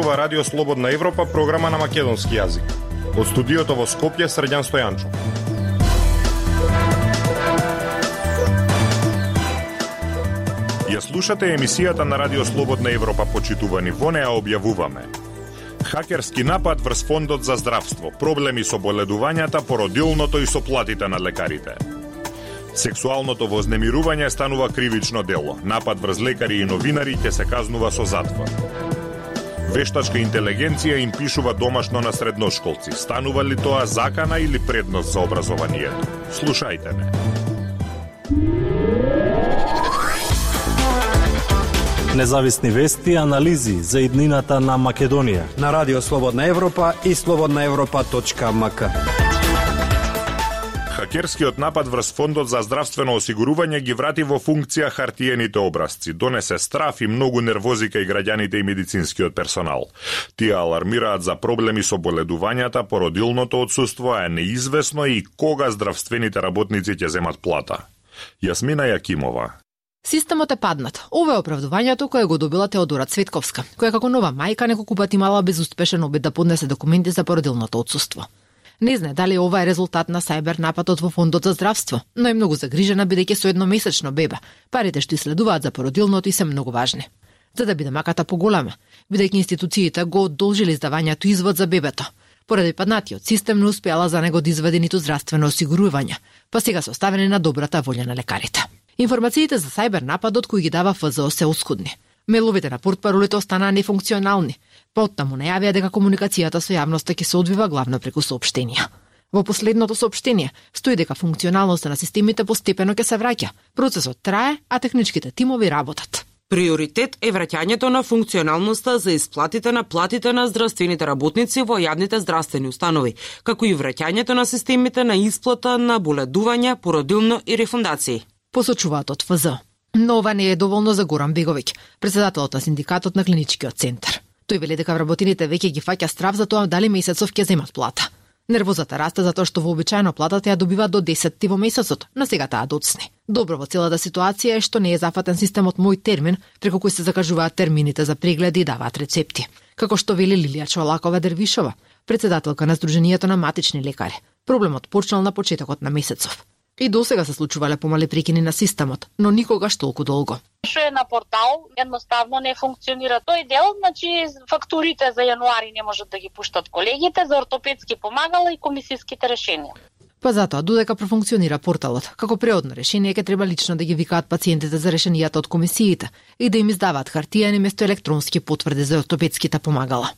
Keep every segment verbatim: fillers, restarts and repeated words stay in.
зборува Радио Слободна Европа, програма на македонски јазик. Од студиото во Скопје, Срđan Стојанчов. Ја слушате емисијата на Радио Слободна Европа, почитувани. Во неа објавуваме: хакерски напад врз Фондот за здравство, проблеми со боледувањата, породилното и со платите на лекарите. Сексуалното вознемирување станува кривично дело. Напад врз лекари и новинари ќе се казнува со затвор. Вештачка интелигенција им пишува домашно на средношколци. Станува ли тоа закана или предност за образованието? Слушајте ме. Независни вести и анализи за иднината на Македонија на Радио Слободна Европа и слободна европа точка ем ка. Хакерскиот напад врз Фондот за здравствено осигурување ги врати во функција хартиените образци, донесе страф и многу нервози кај граѓаните и медицинскиот персонал. Тие алармираат за проблеми со боледувањата, породилното отсуство, а неизвестно и кога здравствените работници ќе земат плата. Јасмина Јакимова. Системот е паднат. Ова е оправдувањето кое го добила Теодора Цветковска, која како нова мајка неколку пати имала безуспешен обид да поднесе документи за породилното отсуство. Не знае дали ова е резултат на сајбер нападот во Фондот за здравство, но е многу загрижена бидејќи со едномесечно бебе, парите што иследуваат за породилното и се многу важни. За да биде маката поголема, бидејќи институциите го одолжили издавањето извод за бебето. Поради паднатиот систем не успеала за него да извади ниту здравствено осигурување, па сега се оставени на добрата волја на лекарите. Информациите за сајбер нападот кои ги дава Ф З О се оскудни. Меловите на портпаролите останаа нефункционални. Поттаму најавија дека комуникацијата со јавноста ќе се одвива главно преку соопштенија. Во последното соопштение стои дека функционалноста на системите постепено ќе се враќа. Процесот трае, а техничките тимови работат. Приоритет е враќањето на функционалноста за исплатите на платите на здравствените работници во јавните здравствени установи, како и враќањето на системите на исплата на боледувања, породилно и рефундации. Посочуваат од Ф З О. Но ова не е доволно за Горан Беговиќ, претседателот на синдикатот на клиничкиот центар. Тој вели дека вработените веќе ги фаќа страф за тоа дали месецов ќе земат плата. Нервозата расте затоа што вообичаено платата ја добива до десет во месецот, но сега таа доцне. Добро во целата ситуација е што не е зафатен системот Мој термин, преку кој се закажуваат термините за прегледи и даваат рецепти. Како што вели Лилија Чолакова Дервишова, претседателка на Сдруженијето на матични лекари. Проблемот почнал на почетокот на месецов. И досега се случувале помали прекини на системот, но никогаш толку долго. Што е на портал, едноставно не функционира тој дел, значи фактурите за јануари не можат да ги пуштат колегите за ортопедски помагала и комисиските решенија. Па затоа, додека профункционира порталот, како преодно решение ќе треба лично да ги викаат пациентите за решенијата од комисиите и да им издаваат хартиени место електронски потврди за ортопедските помагала.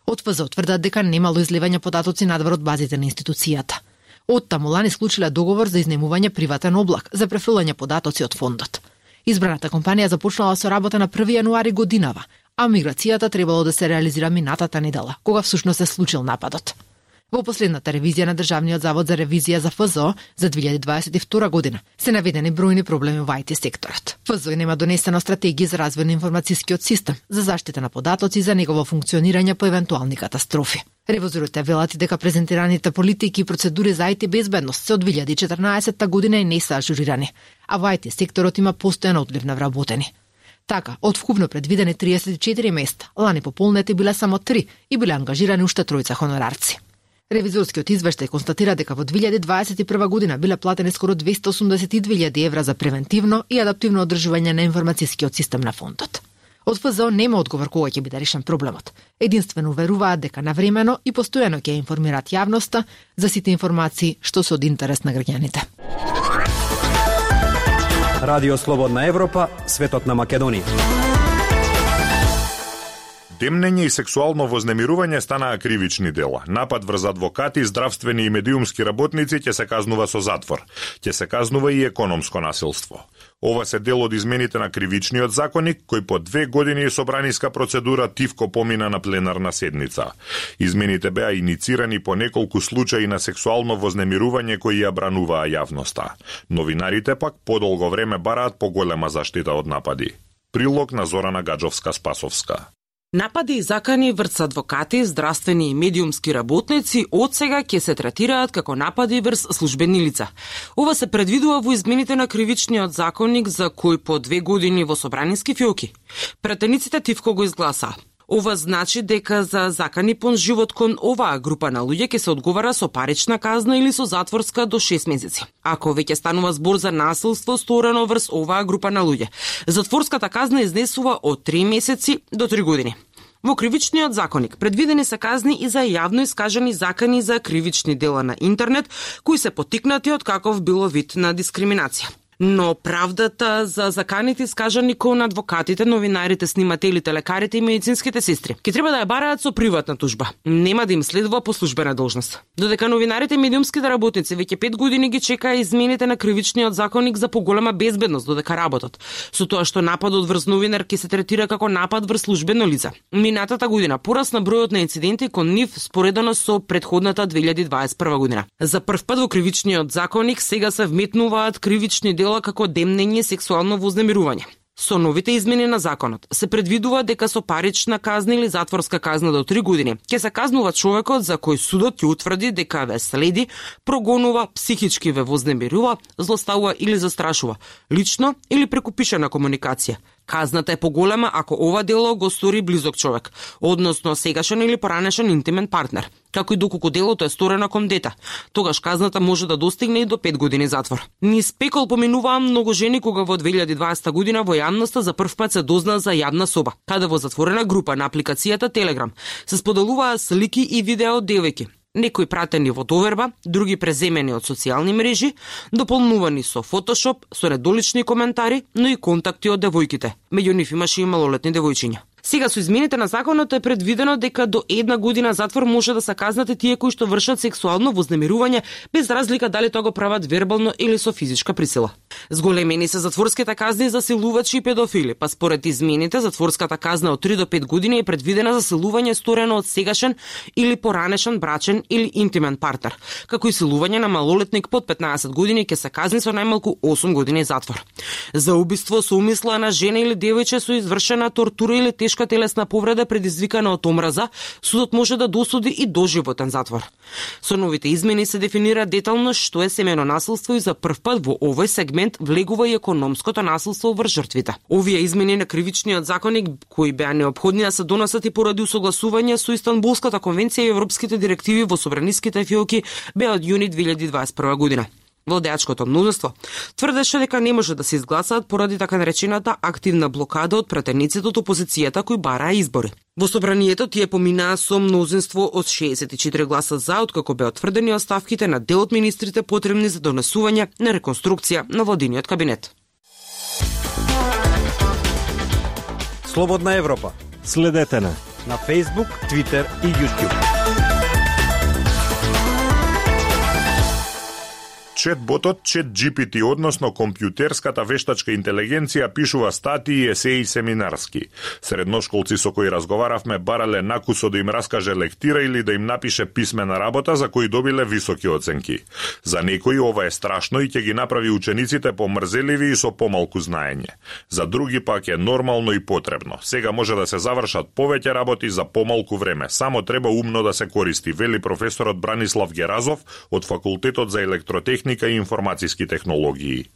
Од Ф З О тврдат дека немало изливање податоци надвор од базите на институцијата. Оттаму лани склучиле договор за изнемување приватен облак за префрлање податоци од фондот. Избраната компанија започнала со работа на први јануари годинава, а миграцијата требало да се реализира минатата недела, кога всушност се случил нападот. Во последната ревизија на Државниот завод за ревизија за Ф З О за две илјади дваесет и втора година се наведени бројни проблеми во ай ти секторот. Ф З О нема донесено стратегија за развој на информацијскиот систем, за заштита на податоци и за негово функционирање по евентуални катастрофи. Ревизорите велат дека презентираните политики и процедури за ай ти безбедност се од две илјади и четрнаесетта година и не се ажурирани, а во ай ти секторот има постојан одлив на вработени. Така, од вкупно предвидени триесет и четири места, лани пополнети биле само три и биле ангажирани уште тројца хонорарци. Ревизорскиот извештај констатира дека во две илјади дваесет и прва година биле платени скоро двесте осумдесет и две илјади евра за превентивно и адаптивно одржување на информацијскиот систем на фондот. Од Ф З О нема одговор кога ќе биде решен проблемот. Единствено веруваат дека навремено и постојано ќе информираат јавноста за сите информации што се од интерес на граѓаните. Радио Слободна Европа, светот на Македонија. Темнење и сексуално вознемирување станаа кривични дела. Напад врз адвокати, здравствени и медиумски работници ќе се казнува со затвор. Ќе се казнува и економско насилство. Ова се дел од измените на кривичниот законник, кој по две години собраниска процедура тивко помина на пленарна седница. Измените беа иницирани по неколку случаи на сексуално вознемирување кои ја брануваа јавноста. Новинарите пак подолго време бараат поголема заштита од напади. Прилог на Зорана Гаджовска-Спасовска. Напади и закани врз адвокати, здравствени и медиумски работници од сега ќе се третираат како напади врз службени лица. Ова се предвидува во измените на кривичниот законник за кој по две години во собраниски фиоки. Претениците тивко го изгласа. Ова значи дека за закани пон живот кон оваа група на луѓе ќе се одговара со парична казна или со затворска до шест месеци. Ако веќе станува збор за насилство сторено врз оваа група на луѓе, затворската казна изнесува од три месеци до три години. Во кривичниот законник предвидени се казни и за јавно искажани закани за кривични дела на интернет, кои се поттикнати од каков било вид на дискриминација. Но правдата за заканите искажани кон адвокатите, новинарите, снимателите, лекарите и медицинските сестри ќе треба да ја бараат со приватна тужба. Нема да им следува по службена должност. Додека новинарите и медиумските работници веќе пет години ги чекаа измените на кривичниот законник за поголема безбедност додека работат, со тоа што нападот врз новинар ќе се третира како напад врз службено лице. Минатата година порасна бројот на инциденти кон нив споредено со претходната две илјади дваесет и прва година. За прв пат во кривичниот законник сега се вметнуваат кривични дела како демнење и сексуално вознемирување. Со новите измени на законот се предвидува дека со парична казна или затворска казна до три години ќе се казнува човекот за кој судот ќе утврди дека ве следи, прогонува, психички ве вознемирува, злоставува или застрашува, лично или преку пишана комуникација. Казната е поголема ако ова дело го стори близок човек, односно сегашен или поранешен интимен партнер, како и доколку делото е сторено кон дете. Тогаш казната може да достигне и до пет години затвор. Низ пекол поминуваа многу жени кога во две илјади дваесета година во јавноста за прв пат се дозна за јавна соба, каде во затворена група на апликацијата Telegram се споделуваа слики и видео од девојки. Некои пратени во доверба, други преземени од социјални мрежи, дополнувани со фотошоп, со недолични коментари, но и контакти од девојките. Меѓу нив имаше и малолетни девојчиња. Сега со измените на законот е предвидено дека до една година затвор може да се казнати тие кои што вршат сексуално вознемирување, без разлика дали тоа го прават вербално или со физичка присила. Зголемени се затворските казни за силувачи и педофили, па според измените затворската казна од три до пет години е предвидена за силување сторено од сегашен или поранешен брачен или интимен партнер, како и силување на малолетник под петнаесет години ќе се казни со најмалку осум години затвор. За убиство со умисла на жена или девојче со извршена тортура или тешка телесна повреда предизвикана од омраза, судот може да досуди и доживотен затвор. Со новите измени се дефинира детално што е семејно насилство и за прв пат во овој сегмент влегува и економското насилство врз жртвите. Овие измени на кривичниот законник, кои беа неопходни да се донесат и поради усогласување со Истанбулската конвенција и европските директиви во собраниските фиоки, беа од јуни две илјади дваесет и прва година. Владеачкото мнозинство тврдеше дека не може да се изгласаат поради така наречената активна блокада од пратениците од опозицијата кои бараа избори. Во собранието тие поминаа со мнозинство од шеесет и четири гласа за, откако беа отврдени оставките на дел од министрите потребни за донесување на реконструкција на владиниот кабинет. Слободна Европа. Следете на на Facebook, Twitter и YouTube. Четботот ChatGPT, односно компјутерската вештачка интелигенција, пишува статии, есеи семинарски. Средношколци со кои разговаравме барале накусо да им раскаже лектира или да им напише писмена работа за кои добиле високи оценки. За некои ова е страшно и ќе ги направи учениците помрзеливи и со помалку знаење. За други пак е нормално и потребно. Сега може да се завршат повеќе работи за помалку време. Само треба умно да се користи, вели професорот Бранислав Геразов од Факултетот за електротехника и информацијски технологии.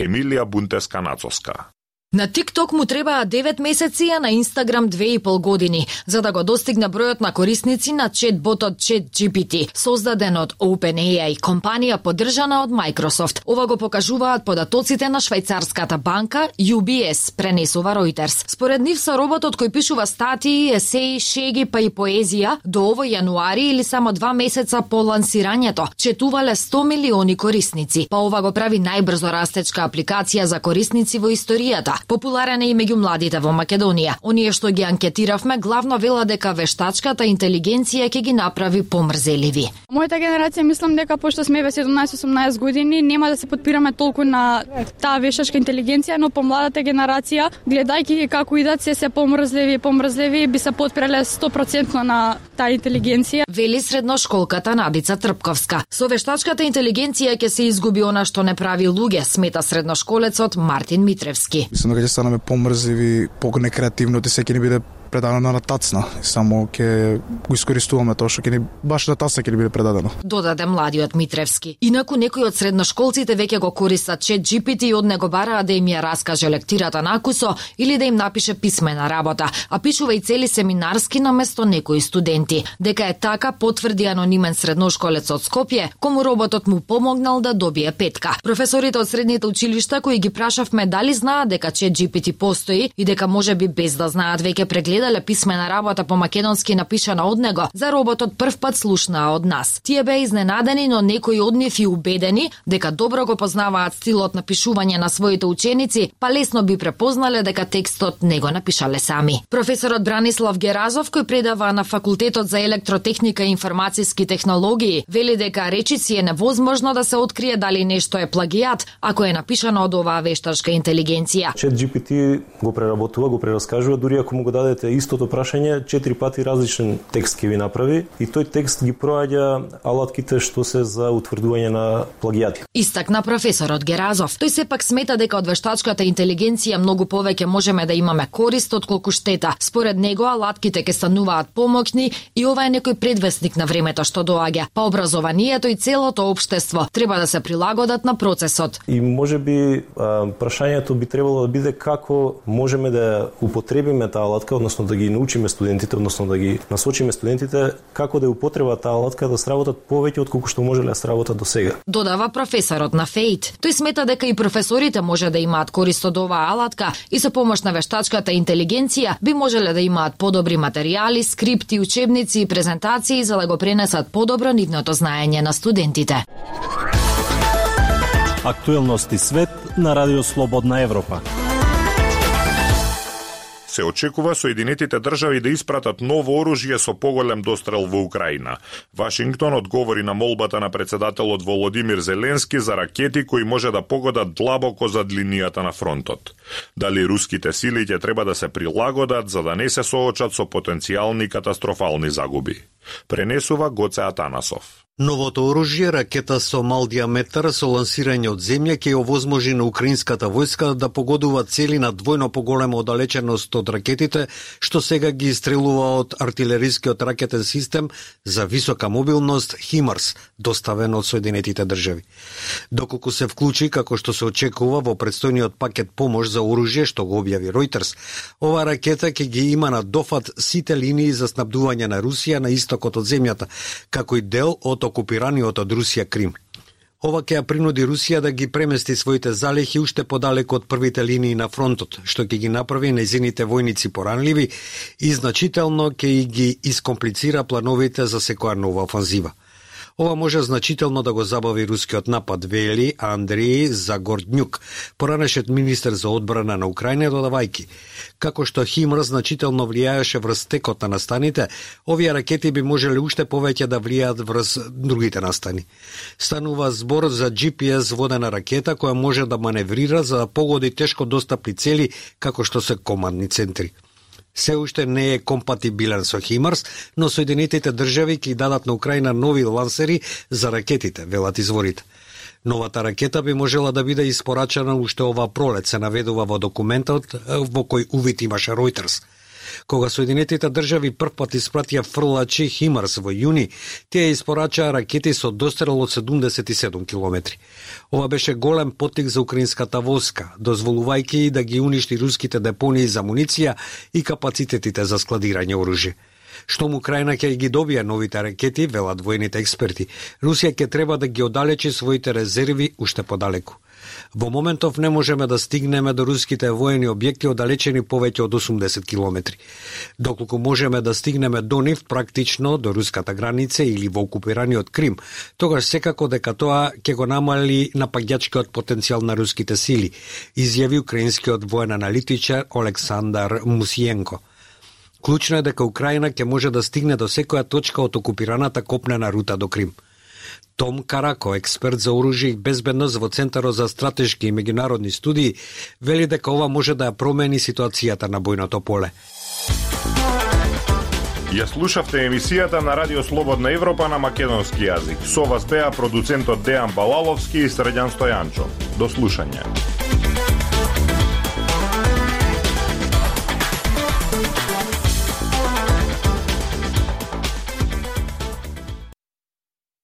Емилија Бунтеска-Нацоска. На TikTok му требаа девет месеци, а на Instagram две и пол години, за да го достигне бројот на корисници на чатботот ChatGPT, создаден од OpenAI, компанија поддржана од Microsoft. Ова го покажуваат податоците на швајцарската банка Ю Би Ес, пренесува Reuters. Според нив со роботот кој пишува статии, есеи, шеги па и поезија, до овој јануари или само два месеца по лансирањето, четувале сто милиони корисници. Па ова го прави најбрзо растечка апликација за корисници во историјата. Популарен е и меѓу младите во Македонија. Оние што ги анкетиравме главно вела дека вештачката интелигенција ќе ги направи помрзеливи. Мојата генерација мислам дека пошто сме ве седумнаесет-осумнаесет години нема да се подпираме толку на таа вештачка интелигенција, но помладата генерација, гледајќи како идат се се помрзливи и помрзливи, би се подпирале сто проценти на таа интелигенција. Вели средношколката Набица Трпковска. Со вештачката интелигенција ќе се изгуби она што не прави луѓе, смета средношколецот Мартин Митревски. Мислам дека ќе станеме помрзливи, понекреативно, те секи не биде предадено на тацна, само ќе го искористуваме тоа што ќе ни баш на тацна ќе ни биде предадено. Додаде младиот Митревски. Инаку некои од средношколците веќе го користат чет джи пи ти и од него бараа да им ја раскаже лектирата на акусо или да им напише писмена работа, а пишува и цели семинарски наместо некои студенти. Дека е така потврди анонимен средношколец од Скопје, кому роботот му помогнал да добие петка. Професорите од средните училишта кои ги прашавме дали знаат дека чет джи пи ти постои и дека можеби без да знаат веќе прегледале писмена работа по македонски напишана од него, за роботот прв пат слушнаа од нас. Тие беа изненадени, но некои од нив и убедени дека добро го познаваат стилот на пишување на своите ученици, па лесно би препознале дека текстот не го напишале сами. Професорот Бранислав Геразов, кој предава на факултетот за електротехника и информацијски технологии, вели дека речици е невозможно да се открие дали нешто е плагијат ако е напишано од оваа вештачка интелигенција. чет джи пи ти го преработува, го прераскажува, дури ако му го дадете истото прашање, четири пати различен текст ќе ви направи и тој текст ги проаѓа алатките што се за утврдување на плагијати. Истакна професорот Геразов. Тој сепак смета дека од вештачката интелигенција многу повеќе можеме да имаме корист отколку штета. Според него алатките ќе стануваат помоќни и ова е некој предвестник на времето што доаѓа. Па образованието и целото општество треба да се прилагодат на процесот. И можеби прашањето би требало да биде како можеме да употребиме таа алатка, односно да ги научиме студентите, односно да ги насочиме студентите како да употреба таа алатка да сработат повеќе отколку што можеле да сработат до сега. Додава професорот на ФЕИТ. Тој смета дека и професорите може да имаат корист од оваа алатка и со помош на вештачката интелигенција би можеле да имаат подобри материјали, скрипти, учебници и презентации за да го пренесат подобро нивното знаење на студентите. Актуелности свет на Радио Слободна Европа. Се очекува Соединетите држави да испратат ново оружје со поголем дострел во Украина. Вашингтон одговори на молбата на председателот Володимир Зеленски за ракети кои може да погодат длабоко зад линијата на фронтот. Дали руските сили ќе треба да се прилагодат за да не се соочат со потенцијални катастрофални загуби. Пренесува Гоце Атанасов. Новото оружје, ракета со мал диаметар со лансирање од земја, ќе овозможи на украинската војска да погодува цели на двојно поголема оддалеченост од ракетите, што сега ги истрелува од артилерискиот ракетен систем за висока мобилност химарс, доставен од Соединетите држави. Доколку се вклучи, како што се очекува во предстојниот пакет помош за оружје што го објави Reuters, ова ракета ќе ги има на дофат сите линии за снабдување на Русија на истокот од земјата, како и дел од окупираниот од Русија Крим. Ова ќе ја принуди Русија да ги премести своите залихи уште подалеку од првите линии на фронтот, што ќе ги направи нејзините војници поранливи и значително ќе ги искомплицира плановите за секоја нова офанзива. Ова може значително да го забави рускиот напад, вели Андрей Загордњук, поранешен министер за одбрана на Украина, додавајки. Како што химарс значително влијаеше врз текот на настаните, овие ракети би можеле уште повеќе да влијаат врз другите настани. Станува збор за джи пи ес водена ракета која може да маневрира за да погоди тешко достапни цели како што се командни центри. Се уште не е компатибилен со химарс, но Соединетите држави ќе дадат на Украина нови лансери за ракетите, велат изворите. Новата ракета би можела да биде испорачена уште ова пролет, се наведува во документот во кој увид имаше Reuters. Кога Соединетите држави првпат испратија фрлачи химарс во јуни, тие испорачаа ракети со дострел од седумдесет и седум километри. Ова беше голем поттик за украинската војска, дозволувајќи да ги уништи руските депонии за муниција и капацитетите за складирање оружје. Штом Украина ќе ги добие новите ракети, велат војните експерти, Русија ќе треба да ги оддалечи своите резерви уште подалеку. Во моментов не можеме да стигнеме до руските воени објекти оддалечени повеќе од осумдесет километри. Доколку можеме да стигнеме до нив практично до руската граница или во окупираниот Крим, тогаш секако дека тоа ќе го намали напаѓачкиот потенцијал на руските сили, изјави украинскиот воен аналитичар Олександар Мусиенко. Клучно е дека Украина ќе може да стигне до секоја точка од окупираната копнена рута до Крим. Том Карако, експерт за оружје и безбедност во Центарот за стратешки и меѓународни студии, вели дека ова може да ја промени ситуацијата на бојното поле. Ја слушавте емисијата на Радио Слободна Европа на македонски јазик. Со вас беа продуцентот Дејан Балаловски и Средјан Стојанчо. До слушање.